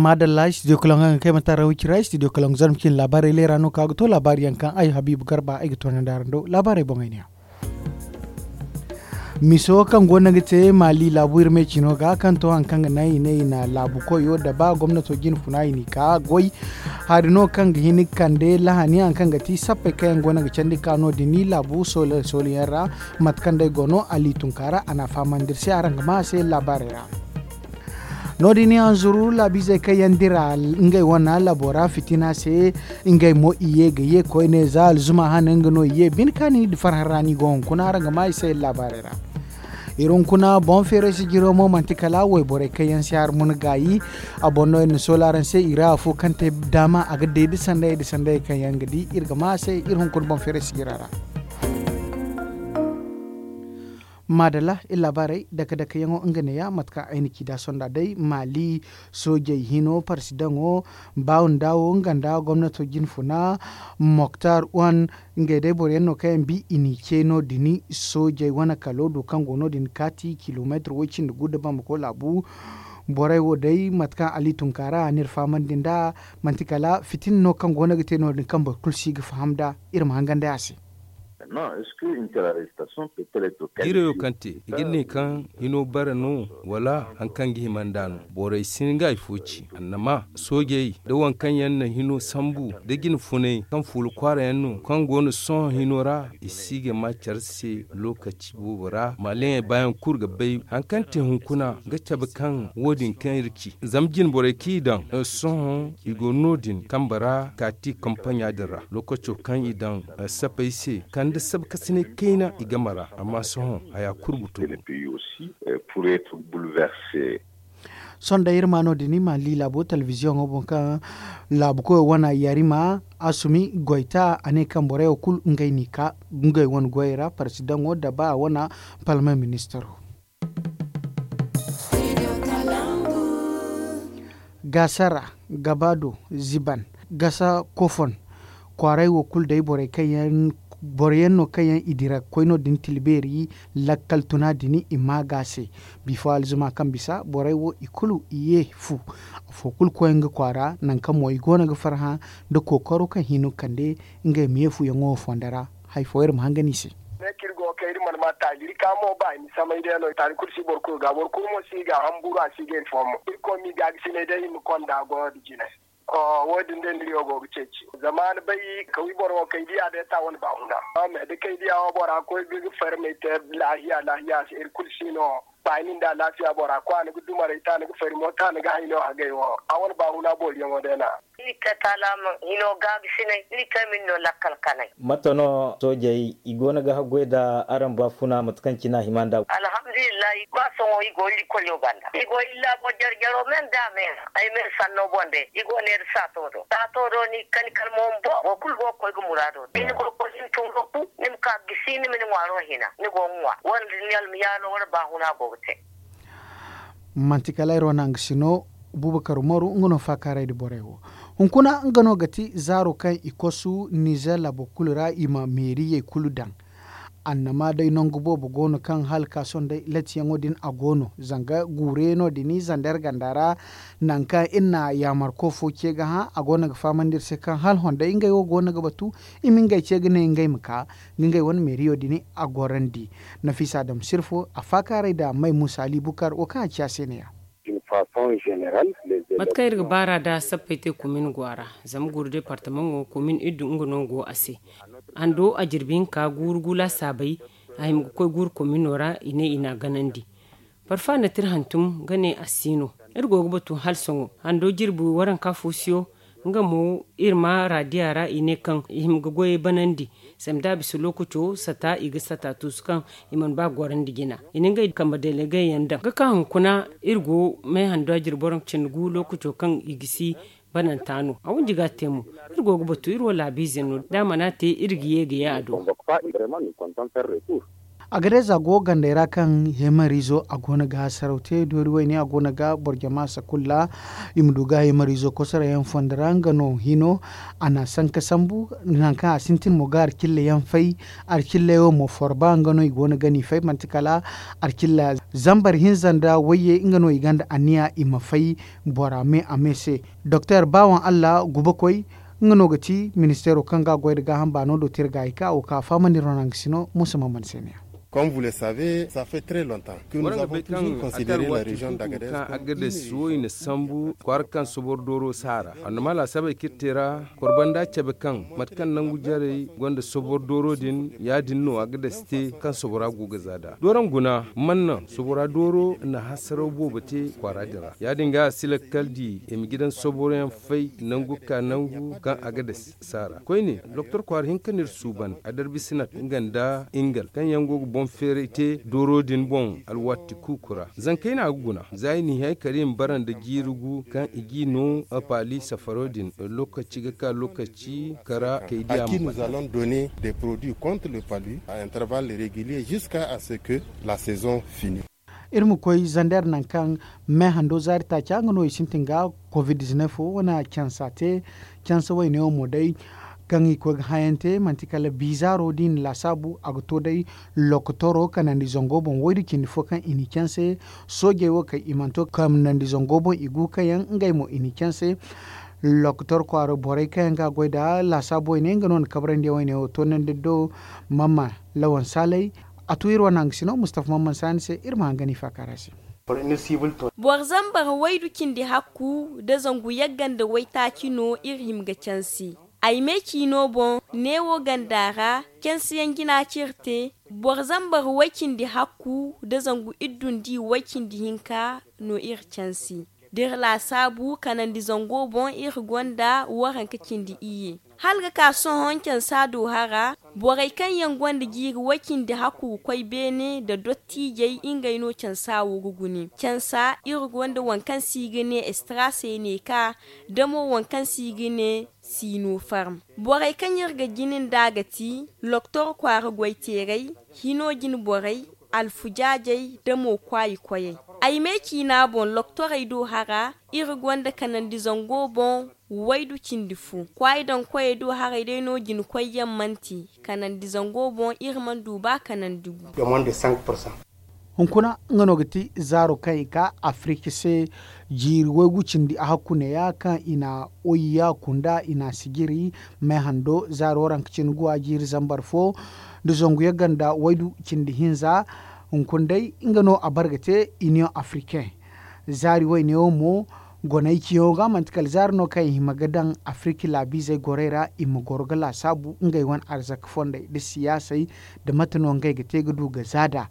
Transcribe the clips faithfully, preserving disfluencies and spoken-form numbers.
Maadalla studio kalaŋ ga kay mata ra wicira studio kalaŋ zarma cin laabaarey leera no ka ga to laabaari yaŋ kaŋ ay habiibu garba ay ga toonandi araŋ do laabaarey boŋey ne ya. Miso kaŋ go no ga te maali laabu iri me cino ga kaŋ to hari kaŋ ga naŋ i ne i na laabu koyo da ba gomnato jine funa i n'i ka goy hari no kaŋ ga hin ga kande lahani hari kaŋ ga ti sappey kaŋ yaŋ go no ga candi ka no- din laabu soole soole yaŋ ra. Mate kaŋ day go no ali tunka ra a na a fahamandi iri se araŋ ga ma a se laabaarey ra. No- din yaŋ zuru laabiizey kaŋ yaŋ dira ngey wane laabo ra fitina se. Ngey mo i ye ga ye koyne za alzuma hane nga no i ye bine kaani nda farhã ra no i go hunkuna araŋ ga ma i se laabaarey ra. Iri hunkuna boŋ feeray sijiro mo manti kala wayborey kaŋ yaŋ si har mun gaayi. A boŋ no iri na soola araŋ se i ra afo kaŋ te daama a ga day da sanday da sanday kaŋ yaŋ ga di iri ga ma a se iri hunkuna boŋ feeray sijira ra. Maadalla iri laabaarey dake dake yaŋo nga neeya mate kaŋ ay na ci da sonda day maali soojey hino parsidaŋo baawun daawo nga nda gomnato jine funa moktar wan. Ngey day boro yaŋ no kaŋ yaŋ bi i n'i ce no- din soojey wane kalo do kaŋ go no- din kaati kilomeetir way- cindi gu nda bambako laabu. Borey wo day mate kaŋ ali tunka ra a n'iri fahamandi nd'a manti kala fitina no kaŋ go no ga te no- din kaŋ boro kulu si ga faham nd'a. Iri ma hangan day a se. Diirayo kaŋ te i ga ne kaŋ hino bare no wala hari kaŋ ga hima nd'a no? Borey si hin ga hari fo ci annama soojey nda waŋ kaŋ yaŋ na hino sambu nda jine funay kaŋ fuula kwaara yaŋ no kaŋ go no sohõ hino ra i si ga ma care se lookaci boobo ra maaleŋey baayaŋ kulu ga bay hari kaŋ te hunkuna ga cabe kaŋ wo- din kaŋ iri ci zama jine borey kaŋ i daŋ sohõ i go no- din kambe ra kaati kampaɲa din ra lookaco kaŋ i daŋ sapey se kande sabkasinay kayna i game ra amma sohõ haya kulu ga to. Sonda iri ma no- din maali laabo televiziyoŋo boŋ kaŋ laabu koyo wana yarima asumi goyta a ne kaŋ borey wo kulu ngey n'i ka ngey wane goyey ra parsidaŋo daba a wana palme ministaro. Gaasara, gabaado, ziban, gasa kofon, kwaaray wo kulu day borey kaŋ yaŋ no kaŋ yaŋ i dira koy no- din tilbeeri lakkal tuna din i ma ga a se. Bifo alzuma kaŋ bisa borey wo i kulu i ye fu. Afo kulu koy nga kwaara nangu kaŋ mo i go no ga farhã nda kookaro kaŋ hino kande ngey ma ye fuyaŋo wo fondo ra. Hari fo iri ma hangan i se. Ne kaŋ iri go ga kay iri mana ma taali iri ka mo ba i na samay day no taali kulu si boro kulu ga boro kulu mo si ga hamburu a si ga iri fo mo iri koy ma i ga ga sinay day iri ma konda goyo da jinay. Wo- din day no iri wo go ga ceeci zama ni bay kawi boro wo kaŋ i diya day ta wane ba huna. Amma da kaŋ i diya wo bora koy ga ga farmay te laahiya laahiya se iri kulu si no. Ba ni nda alaafiya bora ko a ni ga dumaray ta ni ga fari mo ta ni ga hayno hagay wo a wane ba huna booriyaŋo day na. Iri te taalaama hino gaabisinay iri te min no lakkal kanay. Mate no soojey i go no ga haggoy nda araŋ baafuna mate kaŋ cine a hima nd'a? Alhamdulillahi ba sohõ i go iri koyo banda i go iri laabo jare-jaro me nda me ra ay me sanno boŋ day i go neera saato do saato do ni kani kala mo bumbo boro kulu go ga koy ga muraado da ni go ga koy ga ni tun ga ku ni ma ka ga gisi ni ma ni ŋwaaro hina ni go ga ŋwa wala da ni almiyaalo wala baahuna go ga te. Manti kala iri wane hangasino bubakar umaru nga no faakaaray nda borey wo. Hunkuna nga no ga ti zaaro kaŋ i kosu nizer laabo kulu ra i ma meeriyey kulu daŋ. Annama day nangu boobo go no kaŋ hala ka sohõ day latiyaŋo din a go no zanga guuruyaŋo din zandar ganda ra. Nangu kaŋ iri na yaamarko fo ce ga hã a go no ga fahamandi iri se kaŋ hala honday ngey wo go no ga batu i ma ngey ce ga ne ngey ma ka. Nga ngey wane meeriyo din a gorandi. Nafiisa dam sirfo a faakaaray nda may muusa ali bukar wo kaŋ a ci a se ne- ya. Mate kaŋ iri ga baar'a nda sappey te komin go a ra. Zama guuru departamaŋo komin iddu nga no go a se. Hando a jirbi hinka guuru gu laasaabey a hima ga koy guuru komino ra i ne i n'a ganandi. Parfa na ti iri hantum ga ne a si no. Iri go ga batu hala sohõ hando jirbi waranka fo siyo. Nga mo iri ma raadiya ra i ne kaŋ i hima ga goyey banandi. Zama da a bisa lookaco sata i ga sata tuusu kaŋ i mana ba gorandi jina i na ngey kambe delegey yaŋ daŋ ga ka hunkuna. Iri go may hando a jirbi waranka cindi gu lookaco kaŋ i ga si bananta no a wanji ga a te mo. Iri go ga batu iri wo laabiize no da a mana te iri ga ye ga ye a do. Agades a go gandey ra kaŋ heemariizo a go no ga hasaraw te doori wayne a go no ga boro jama sakulla. I ma du ga heemariizo kosoroyaŋ fondo ra nga no hino. A na sanka sambu nangu kaŋ a sintin mo ga alkilla yaŋ fay. Alkilla yaŋ wo mo forba nga no i go no ga ni fay manti kala alkilla zambar hinza nda wayye nga no i gonda anniya i ma fay bora me a me se. Doktor bawan allah gubakoy nga no ga ti ministeero kaŋ ga a goy nda gaaham baano do te iri ga a hika wo ka a fahamandi iri wane hangasino muusa mamman se ne ya. Comme vous le savez, ça fait très longtemps que nous avons toujours considéré la région d'Agadez comme une région. Agades wo i na sambu kwaara kaŋ sobor dooro si a ra. Annama laasabey kaŋ iri te ra korbanda cabe kaŋ mate kaŋ nangu jarey gonda sobor dooro din ya- din no agades te kaŋ sobora go ga za nd'a dooraŋ guna man naŋ sobora dooro na hasaraw boobo te kwaara din ra ya- din ga a si lakkal di i ma gidan soboroyaŋ fay nangu ga ka nangu kaŋ agades si a ra koyne. Doktor kwaara hinka no iri suuban adarbisinat nga nda ingal kaŋ yaŋ go ga boŋ feeray te dooro din boŋ alwaati kuuku ra zankey no a ga guna za i n'i hay kala i ma bara nda jiiri gu kaŋ i g'i no paali safaro din lokaci ga ka lokaci kara kay di a ma banda. Donner des produits contre le palu à intervalles réguliers jusqu'à ce que la saison finit. Iri ma koy zander nangu kaŋ me hando zaari taaca nga no i sintin ga covid-19 wo wane cansa te. Cansa wayne wo mo day kaŋ i koy ga hayante manti kala bizaaro da i na laasaabu a ga to day lokotoro kanandi zango boŋ waydu cindi fo kaŋ i n'i canse. Soojey wo kay i mana to kanandi zango boŋ i gu kaŋ yaŋ ngey mo i n'i canse. Lokotor kwaara borey kaŋ yaŋ ga a goy nd'a laasaabu wayne nga no na kabrandi wayne wo toonandi do. Mamma lawan saalay a tu iri wane hangasino mustafa mamman saani se iri ma hangan i faakaara se. Boro zambar waydu cindi hakku nda zangu yagga nda waytaaci no iri hima ga cansi. Ay me ciino boŋ neewo ganda ra cansiyaŋ jina ci iri te. Boro zambar way cindi hakku nda zangu iddu nda i way cindi hinka no iri cansi. Da iri laasaabu kanandi zango boŋ iri gonda waranka cindi iyye hala ga ka sohõ cansa do hara. Borey kaŋ yaŋ gonda jiiri way cindi hakku ga koy beene nda dottiijey ngey no cansa wo ga gune cansa iri gonda waŋ kaŋ se i ga ne estra se ne ka da mo waŋ kaŋ se i ga ne sino farm. Borey kaŋ iri ga jina nd'a ga ti loktor kwaara goyteerey, hino jine borey, alfujaajey nda mo kwaayi koyey. Ay me ciina boŋ loktorey do hara iri gonda kanandi zango boŋ waydu cindi fo. Kwaayi daŋ koyey do haray day no jine koyyaŋ manti kanandi zango boŋ iri mana du ba kanandi gu. Hunkuna nga no ga ti zaaro kaŋ i ka afirika se jiiri waygu cindi a hakku neeya kaŋ i na oyiya kunda i na sijiri. May hando zaaro waranka cindi guwa jiiri zambar fo nda zangu yagga nda waydu cindi hinza. Hunkuna day nga no a bare ga te iniyoŋ afirikaŋ zaari wayne wo mo goney ciyaŋo ga manti kala zaari no kaŋ i hima ga daŋ afirika laabiizey gorey ra i ma goro ga laasaabu ngey wane arzaka fondey nda siyaasey nda mate no ngey ga te ga du ga za nd'a.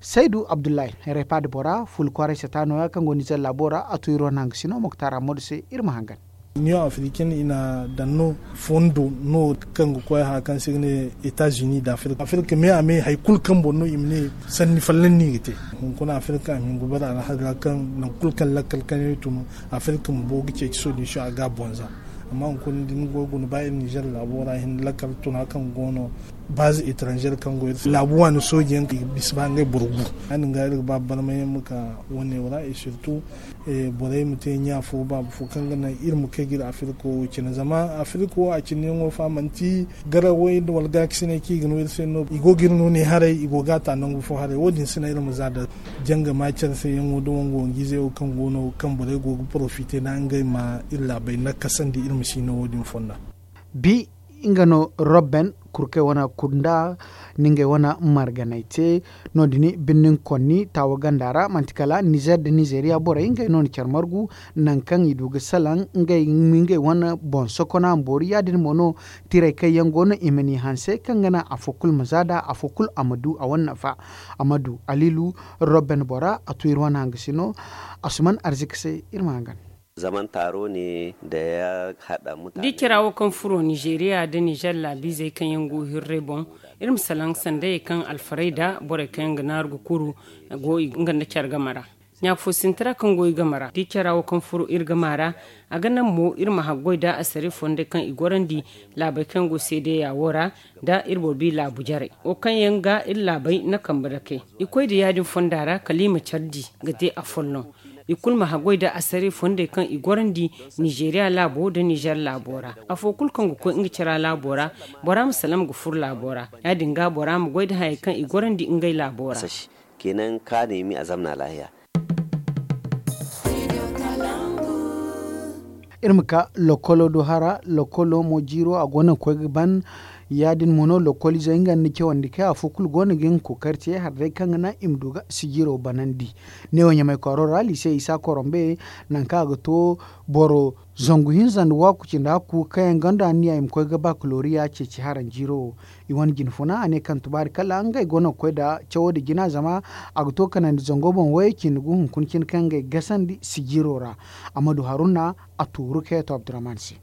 Saydu abdullahi repaad bora fula kwaaray sata nooya kaŋ go nizer laabo ra a tu iri wane hangasino moktar ammadu se iri ma hangan. Iniyoŋ afiriken i na daŋ no fondo no kaŋ ga koy haya kaŋ se i ga ne etats unis da afirika afirika me a me hari kulu kaŋ boŋ no i ma ne sanni folloŋ no i ga te. Hunkuna afirika a ma hin ga bare alhali ra kaŋ nangu kulu kaŋ lakkal kaŋ yaŋ i tun afirika bumbo ga ceeci solution a ga a boŋ za. Amma hunkuna da ni go ga guna ba iri nizer laabo ra hin lakkal tuna kaŋ go no baaze etranzer kaŋ go iri se laabu waani sooji yaŋ kaŋ i ga bisa ba ngey boro gu. Ya- din ga iri ga ba barmay yaŋ ma ka wane wo ra et surtout borey ma te ɲa fo baaba fo kaŋ ga naŋ iri ma kay ga iri afirka wo cine zama afirka wo a cine yaŋo fa manti garawey nda wala gaakasiney kaŋ i ga no iri se no i go ga iri no ne haray i go ga a ta nangu fo haray wo- din se no iri ma za nda janga ma care se yaŋo nda wangu wangu ize wo kaŋ go no kaŋ borey go ga porofite nda ngey ma iri laabey nakasandi iri ma si no wo- din fonda. Bi nga no robben kurkey wane kunda ni ngey wane marganey te. No- din birnin konni taawa ganda ra manti kala nizer nda nizeriya borey ngey no na care margu nangu kaŋ i du ga salaŋ ngey wane boŋ sokona ma boori ya- din mo no. Tirey kaŋ yaŋ go no i ma n'i hanse kaŋ ga naŋ afo kulu ma za nd'a afo kulu a ma du a wane nafa. A ma du aliilu robben bora a tu iri wane hangasino. Asuman arzika se iri ma hangan. Zaman taro ne da ya haɗa mutane. Da i cira wo kaŋ furo nizeeriya nda nizer laabiizey kaŋ yaŋ go hirrey boŋ iri ma salaŋ sandayey kaŋ alfarayda borey kaŋ yaŋ ga naaru ga kuru go nga nda care game ra. Ɲaafo sinti ra kaŋ go i game ra da i cara wo kaŋ furo iri game ra. A ga naŋ mo iri ma haggoy nda asare fondey kaŋ i gorandi laabey kaŋ go seedeya wo ra, nda iri boro bi laabu jarey wo kaŋ yaŋ ga iri laabey na kambe dakey. I koy nda ya- din fonda ra kala i ma care di ga te afolloŋ. I kulu ma haggoy nda asare fondey kaŋ i gorandi nizeeriya laabo nda nizer laabo ra. Afo kulu kaŋ ga koy nga cara laabo ra, bora ma salaŋ ga furo laabo ra. Ya- din ga bora ma goy nda hayey kaŋ i gorandi ngey laabo ra. Kenan kaanay mi a zamna laahiya. Iri ma ka lokolo do hara lokolo mo jiiro a go no ga koy ga ban. Ya- din mo no lokoliizey nga nda cawandi kay afo kulu go no ga nga kookari te hari day kaŋ ga naŋ i ma du ga sijiiro banandi. Neewo ɲamay kwaaro ra liise isa korombe, nangu kaŋ a ga to boro zangu hinza nda waaku cindi hakku kaŋ yaŋ gonda anniya i ma koy ga bakaloriya ceeci haranjiiro wo. I wane jine funa a ne kaŋ tubaari kala ngey go no ga koy nda cawo nda jina zama a ga to kanandi zango boŋ wayey cindi gu hunkuna cine kaŋ ngey gasandi sijiiro ra. Amadu haruna a tuuru kay to abdurrahman se.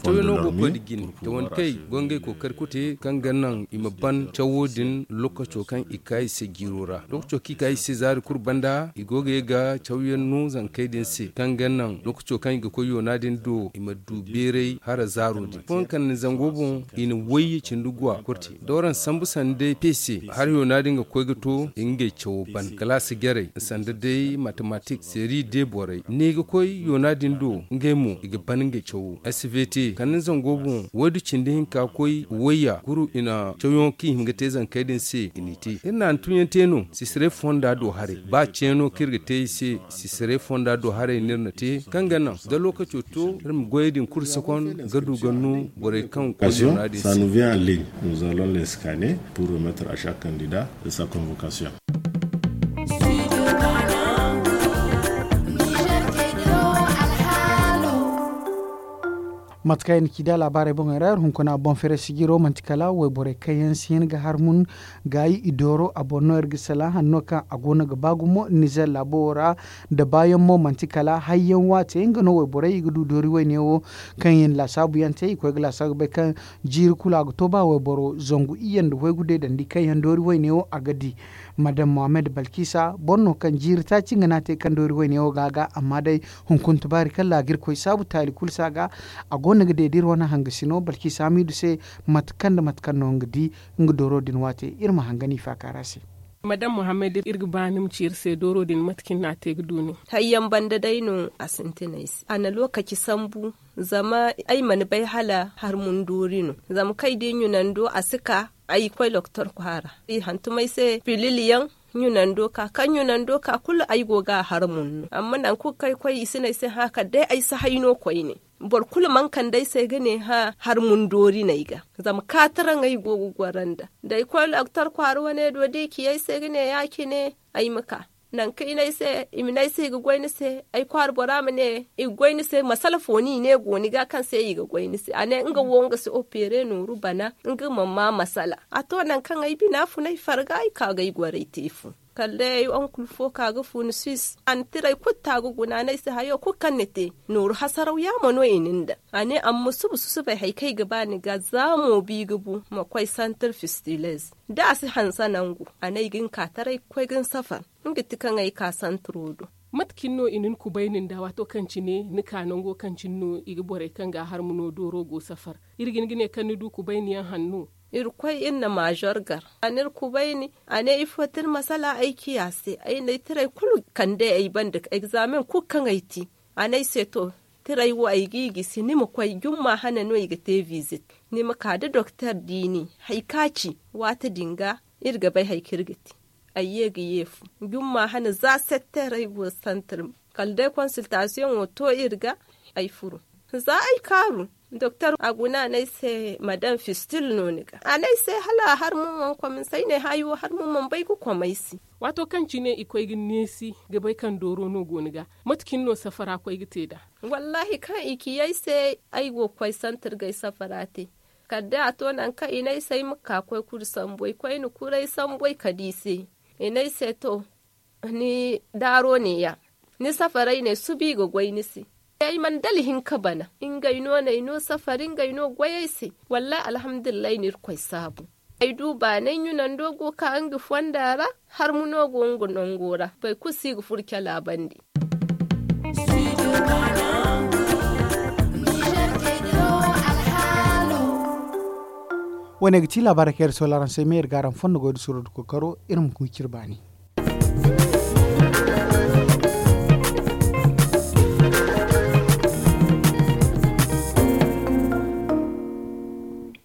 Cawyaŋo go koy nda jine tawandi kaŋ i go ngey kookari kulu te kaŋ ga naŋ i ma ban cawo din lokaco kaŋ i ka i se jiiro ra. Lokaco kaŋ i ka i se zaari kulu banda i go ga ye ga cawyaŋ no zankey din se kaŋ ga naŋ lokaco kaŋ i ga koy yoona din do i ma du beeray hara zaaro din fooyaŋ kande zango boŋ. I na wayye cindi guwa kurti da waraŋ sambu sanda day peese. Hara yoona din ga koy ga to i ngey cawo ban kalaasi jarey sanda day matematik seeri de borey ne i ga koy yoona din do ngey mo i ga ban ngey cawo. Asibiti kande zango boŋ waydu cindi hinka koy wayya kuru i na cawyaŋo kaŋ i hin ga te zankey din se i n'i te iri na hantumyaŋ te no sisirey fonda do haray ba ceeno kaŋ iri ga te i se. Sisirey fonda do haray no iri na te kaŋ ga naŋ da lokaco to iri ma goyey din kulu sakon ga du ga no borey kaŋ koy noora din se. Nous allons les scanner pour remettre à chaque candidat de sa convocation. Mate kaŋ i na ci da laabaarey boŋey ra iri hunkuna boŋ fere sijiro manti kala wayborey kaŋ yaŋ si hin ga har mun gaayi i dooro a boŋ no iri ga salaŋ hanno kaŋ a go no ga ba gumo nizer laabo wo ra. Da baayaŋ mo manti kala hayyaŋ waate nga no wayborey i ga du doori wayne wo kaŋ yaŋ laasaabu yaŋ te i koy ga laasaabu ga bay kaŋ jiiri kulu a ga to ba wayboro zangu iyye nda waygu day dandi kaŋ yaŋ doori wayne wo a ga di. Madam mohammed balkisa boro no kaŋ jiiri taaci nga no a te kaŋ doori wayne wo ga a ga amma day hunkuna tubaari kaŋ laagirkoy saabu taali kulu se a ga. A go no ga deediri wane hangasino balkisa hamiidu se mate kaŋ nda mate kaŋ no nga di nga dooro din waate iri ma hanga no i faaka ra se. Madam mohammed iri ga ba ni ma ci iri se dooro din mate kaŋ ni na a te ga du nin. Hayyaŋ banda day no a sintinay se a na lookaci sambu. Zama ay mana bay hala harmundoori no zama kaŋ ay di ɲunando a si ka ay koy loktor kwaara i hantum ay se pilil yaŋ. Ɲunando ka kaŋ ɲunando ka kulu ay go ga a harmun no amma nangu kulu kaŋ ay koy i si ne ay se hã kala day ay si hay no koyne. Boro kulu mana kande ay se ga ne hã harmundoori no ay ga zama kaataraŋ ay go ga goro nd'a da ay koy loktor kwaara wane do da i ci ay se ga ne ya- cine ay ma ka. Nangu kaŋ i ne ay se i ma ne ay se i ga goy ni se ay kwaara bora ma ne i ga goy ni se masala fo no i ne go ni ga kaŋ se i ga goy ni se a ne nga wo nga si opere nooru bana. Nga ma ma masala a to nangu kaŋ ay bina fun ay farga ay ka ga ay goray te fu. Kala day ay onkul fo ka ga fu ni suis a na tiray kulu ta ga guna a ne ay se hayo kulu kaŋ ni te nooru hasaraw yaamo no i na ni daŋ. A ne amma suba susubay hari kaŋ ay ga ba ni ga za mo bi ga bu ma koy santir fistiles da a si hanse nangu a ne ay ga ni ka taray ga koy ga ni safar. Nga ti kaŋ ay ka santiro do. Mate cine no i na ni kubay nin da waato kaŋ cine ni ka nango kaŋ cine no i ga borey kaŋ ga a harmuno dooro go safar? Iri ga hin ga ne kaŋ ni du kubay ni yaŋ hanno. Iri koy iri na maazor gar a na iri kubay ni a ne ifo ti iri masala ay ciya se ay na ay tiray kulu kande ay banda egzamen kulu kaŋ ay ti. A ne ay se to tiray wo ay ga i gisi ni ma koy jumma hane no i ga te vizit. Ni ma ka da doktor diini hari kaŋ a ci waati din ga iri ga bay hari kaŋ iri ga te. Ay ye ga ye fu jumma hane za setteer ay go santir kala day konsiltasiyoŋo to iri ga. Ay furo za ay kaaru doktor a guna a ne ay se madam fistil no ni ga a ne ay se hala har mo mana kom ni se ay ne hayo har mo mana bay ga kom ay se. Waato kaŋ cine i koy ga neesi ga bay kaŋ dooro no go ni ga mate cine no safara koy ga te nd'a? Wallaahi kaŋ i ci ay se ay go ga koy santir ga ay safara te. Kala day a to nangu kaŋ i ne ay se ay ma ka koy kuri sambu ay koy na kuri ay sambu ay kade i se. I ne ay se to ni daaro neeya ni safaray ne suba i ga goy ni se. Ay mana dala hin ka bana ngey no n'ay no safari ngey no goy ay se. Wallaahi alhamdulillahi no irkoy saabu. Ay du baanay ɲunando go ka nga fonda ra. Harmuno go nga nango ra, boro kulu si ga furo cala bande. Wo- ne ga ti laabaarey kaŋ iri sola araŋ se me iri ga araŋ fondo goy da suro da kookaro. Iri ma koy cire baani.